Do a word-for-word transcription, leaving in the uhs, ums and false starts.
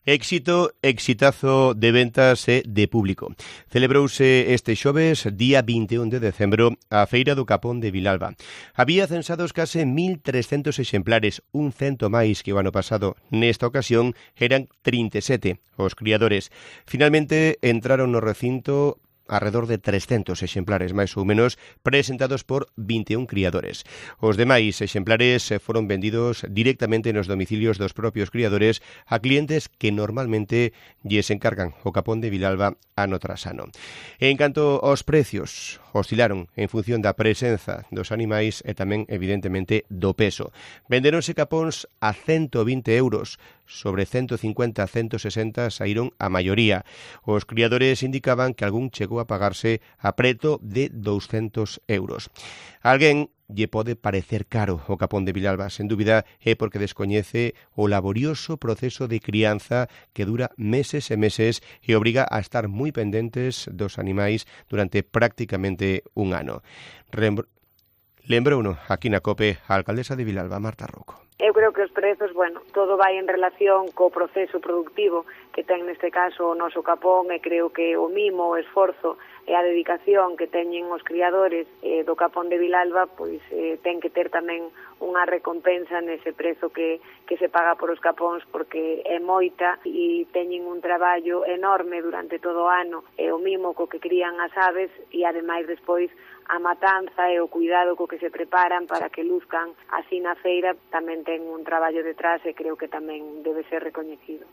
Éxito, exitazo de ventas e de público. Celebrouse este xoves, día vinte e un de decembro, a Feira do Capón de Vilalba. Había censados case mil trescentos exemplares, un cento máis que o ano pasado. Nesta ocasión eran trinta e sete os criadores. Finalmente entraron no recinto alrededor de trescentos exemplares, máis ou menos, presentados por vinte e un criadores. Os demais exemplares foron vendidos directamente nos domicilios dos propios criadores a clientes que normalmente lles encargan o Capón de Vilalba ano tras ano. En canto aos precios, oscilaron en función da presenza dos animais e tamén, evidentemente, do peso. Venderonse capóns a ciento vinte euros, sobre ciento cincuenta a ciento sesenta saíron a maioría. Os criadores indicaban que algún chegou a pagarse a preto de douscentos euros. A alguén lle pode parecer caro o Capón de Vilalba, sen dúbida é porque descoñece o laborioso proceso de crianza que dura meses e meses e obriga a estar moi pendentes dos animais durante prácticamente un ano. Lembrouno aquí na COPE a alcaldesa de Vilalba, Marta Rouco. Eu creo que os prezos, bueno, todo vai en relación co proceso productivo que ten neste caso o noso capón e creo que o mimo, o esforzo e a dedicación que teñen os criadores eh, do Capón de Vilalba, pois eh, ten que ter tamén unha recompensa nese prezo que, que se paga por os capóns porque é moita e teñen un traballo enorme durante todo o ano e o mimo co que crían as aves e ademais despois a matanza e o cuidado co que se preparan para que luzcan así na feira tamén ten un traballo detrás e creo que tamén debe ser recoñecido.